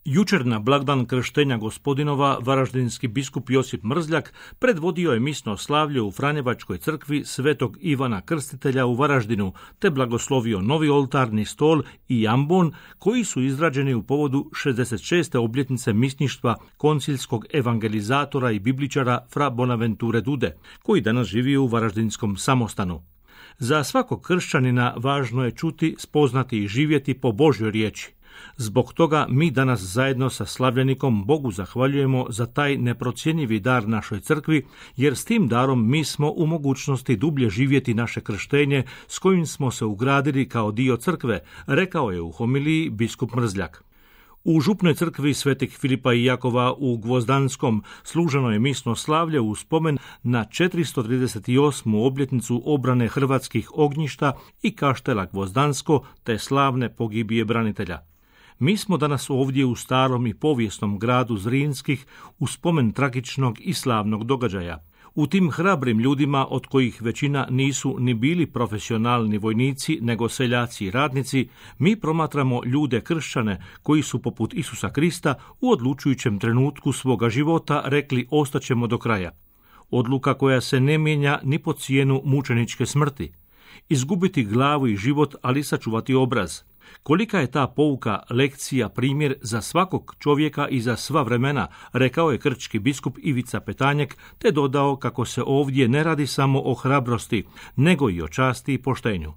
Jučer na blagdan krštenja Gospodinova varaždinski biskup Josip Mrzljak predvodio je misno slavlje u Franjevačkoj crkvi Svetog Ivana Krstitelja u Varaždinu, te blagoslovio novi oltarni stol i ambon koji su izrađeni u povodu 66. obljetnice misništva koncilskog evangelizatora i bibličara fra Bonaventure Dude, koji danas živi u Varaždinskom samostanu. Za svakog kršćanina važno je čuti, spoznati i živjeti po Božjoj riječi. Zbog toga mi danas zajedno sa slavljenikom Bogu zahvaljujemo za taj neprocjenjivi dar našoj crkvi, jer s tim darom mi smo u mogućnosti dublje živjeti naše krštenje s kojim smo se ugradili kao dio crkve, rekao je u homiliji biskup Mrzljak. U župnoj crkvi Svetih Filipa i Jakova u Gvozdanskom služeno je misno slavlje u spomen na 438. obljetnicu obrane hrvatskih ognjišta i kaštela Gvozdansko te slavne pogibije branitelja. Mi smo danas ovdje u starom i povijesnom gradu Zrinskih u spomen tragičnog i slavnog događaja. U tim hrabrim ljudima, od kojih većina nisu ni bili profesionalni vojnici, nego seljaci i radnici, mi promatramo ljude kršćane koji su poput Isusa Krista u odlučujućem trenutku svoga života rekli ostaćemo do kraja. Odluka koja se ne mijenja ni po cijenu mučeničke smrti. Izgubiti glavu i život, ali sačuvati obraz. Kolika je ta pouka, lekcija, primjer za svakog čovjeka i za sva vremena, rekao je krčki biskup Ivica Petanjek, te dodao kako se ovdje ne radi samo o hrabrosti, nego i o časti i poštenju.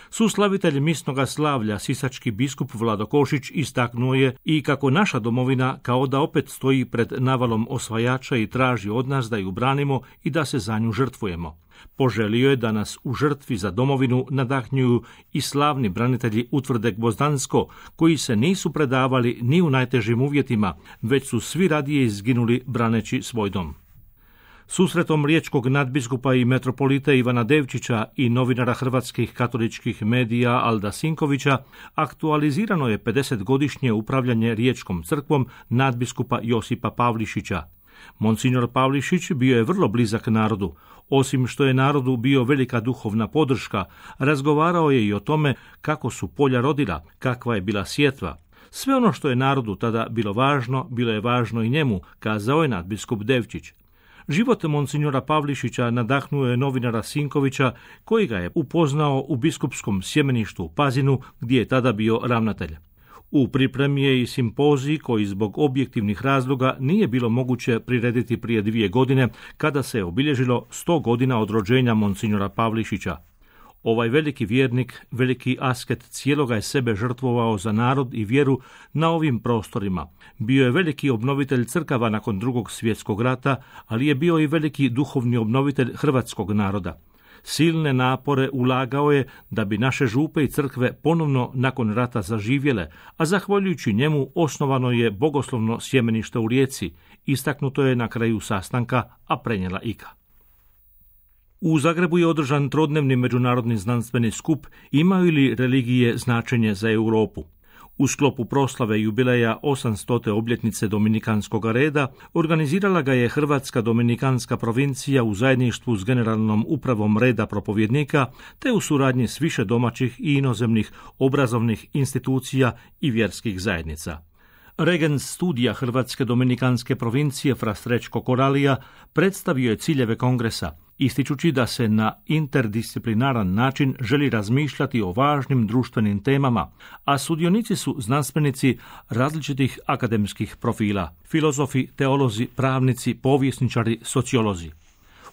Suslavitelj misnoga slavlja, sisački biskup Vlado Košić, istaknuo je i kako naša domovina kao da opet stoji pred navalom osvajača i traži od nas da ju branimo i da se za nju žrtvujemo. Poželio je da nas u žrtvi za domovinu nadahnjuju i slavni branitelji utvrde Gvozdansko, koji se nisu predavali ni u najtežim uvjetima, već su svi radije izginuli braneći svoj dom. Susretom riječkog nadbiskupa i metropolita Ivana Devčića i novinara hrvatskih katoličkih medija Alda Sinkovića aktualizirano je 50-godišnje upravljanje riječkom crkvom nadbiskupa Josipa Pavlišića. Monsignor Pavlišić bio je vrlo blizak narodu. Osim što je narodu bio velika duhovna podrška, razgovarao je i o tome kako su polja rodila, kakva je bila sjetva. Sve ono što je narodu tada bilo je važno i njemu, kazao je nadbiskup Devčić. Život monsignora Pavlišića nadahnuo je novinara Sinkovića, koji ga je upoznao u biskupskom sjemeništu u Pazinu, gdje je tada bio ravnatelj. U pripremi je i simpozij koji zbog objektivnih razloga nije bilo moguće prirediti prije 2 godine, kada se je obilježilo 100 godina od rođenja monsignora Pavlišića. Ovaj veliki vjernik, veliki asket cijeloga je sebe žrtvovao za narod i vjeru na ovim prostorima. Bio je veliki obnovitelj crkava nakon Drugog svjetskog rata, ali je bio i veliki duhovni obnovitelj hrvatskog naroda. Silne napore ulagao je da bi naše župe i crkve ponovno nakon rata zaživjele, a zahvaljujući njemu osnovano je bogoslovno sjemenište u Rijeci, istaknuto je na kraju sastanka, a prenijela IKA. U Zagrebu je održan trodnevni međunarodni znanstveni skup Imaju li religije značenje za Europu? U sklopu proslave jubileja 800. obljetnice Dominikanskog reda organizirala ga je Hrvatska dominikanska provincija u zajedništvu s Generalnom upravom reda propovjednika te u suradnji s više domaćih i inozemnih obrazovnih institucija i vjerskih zajednica. Regent studija Hrvatske dominikanske provincije fra Srećko Koralija predstavio je ciljeve kongresa, ističući da se na interdisciplinaran način želi razmišljati o važnim društvenim temama, a sudionici su znanstvenici različitih akademskih profila, filozofi, teolozi, pravnici, povjesničari, sociolozi.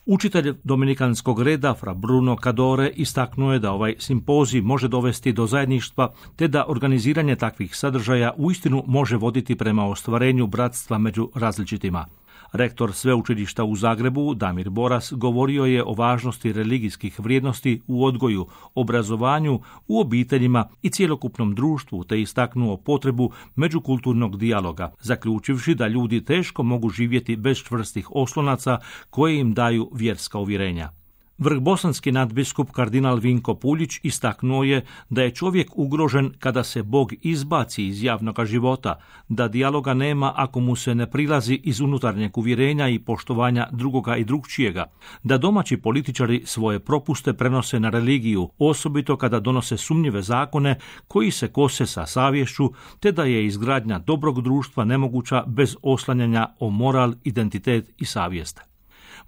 Učitelj dominikanskog reda fra Bruno Cadore istaknuo je da ovaj simpozij može dovesti do zajedništva, te da organiziranje takvih sadržaja uistinu može voditi prema ostvarenju bratstva među različitima. Rektor sveučilišta u Zagrebu, Damir Boras, govorio je o važnosti religijskih vrijednosti u odgoju, obrazovanju, u obiteljima i cjelokupnom društvu, te istaknuo potrebu međukulturnog dijaloga, zaključivši da ljudi teško mogu živjeti bez čvrstih oslonaca koje im daju vjerska uvjerenja. Vrhbosanski nadbiskup kardinal Vinko Puljić istaknuo je da je čovjek ugrožen kada se Bog izbaci iz javnog života, da dijaloga nema ako mu se ne prilazi iz unutarnjeg uvjerenja i poštovanja drugoga i drugčijega, da domaći političari svoje propuste prenose na religiju, osobito kada donose sumnjive zakone koji se kose sa savješću, te da je izgradnja dobrog društva nemoguća bez oslanjanja o moral, identitet i savjest.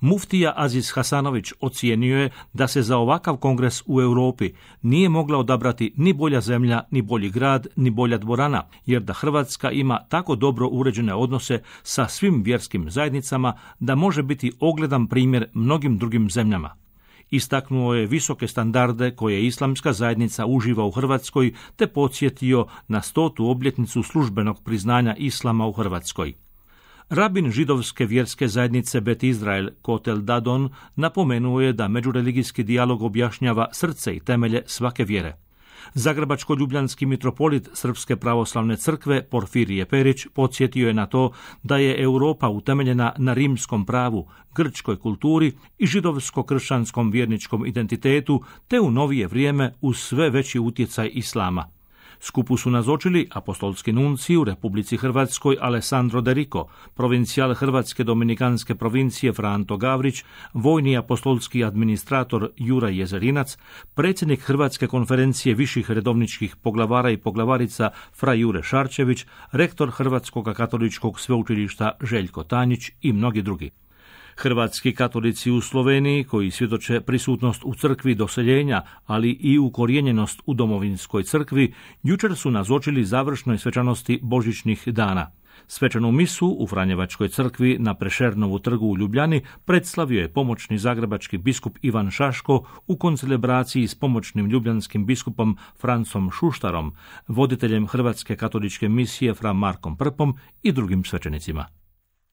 Muftija Aziz Hasanović ocijenio je da se za ovakav kongres u Europi nije mogla odabrati ni bolja zemlja, ni bolji grad, ni bolja dvorana, jer da Hrvatska ima tako dobro uređene odnose sa svim vjerskim zajednicama da može biti ogledan primjer mnogim drugim zemljama. Istaknuo je visoke standarde koje islamska zajednica uživa u Hrvatskoj te podsjetio na 100. obljetnicu službenog priznanja islama u Hrvatskoj. Rabin židovske vjerske zajednice Bet Izrael Kotel Dadon napomenuo je da međureligijski dijalog objašnjava srce i temelje svake vjere. Zagrebačko-ljubljanski mitropolit Srpske pravoslavne crkve Porfirije Perić podsjetio je na to da je Europa utemeljena na rimskom pravu, grčkoj kulturi i židovsko-kršćanskom vjerničkom identitetu, te u novije vrijeme uz sve veći utjecaj islama. Skupu su nazočili apostolski nunci u Republici Hrvatskoj Alessandro De Rico, provincijal Hrvatske dominikanske provincije Franto Gavrić, vojni apostolski administrator Juraj Jezerinac, predsjednik Hrvatske konferencije viših redovničkih poglavara i poglavarica Fra Jure Šarčević, rektor Hrvatskog katoličkog sveučilišta Željko Tanjić i mnogi drugi. Hrvatski katolici u Sloveniji, koji svjedoče prisutnost u crkvi doseljenja, ali i ukorijenjenost u domovinskoj crkvi, jučer su nazočili završnoj svečanosti božićnih dana. Svečanu misu u Franjevačkoj crkvi na Prešernovu trgu u Ljubljani predslavio je pomoćni zagrebački biskup Ivan Šaško u koncelebraciji s pomoćnim ljubljanskim biskupom Francom Šuštarom, voditeljem Hrvatske katoličke misije Fra Markom Prpom i drugim svećenicima.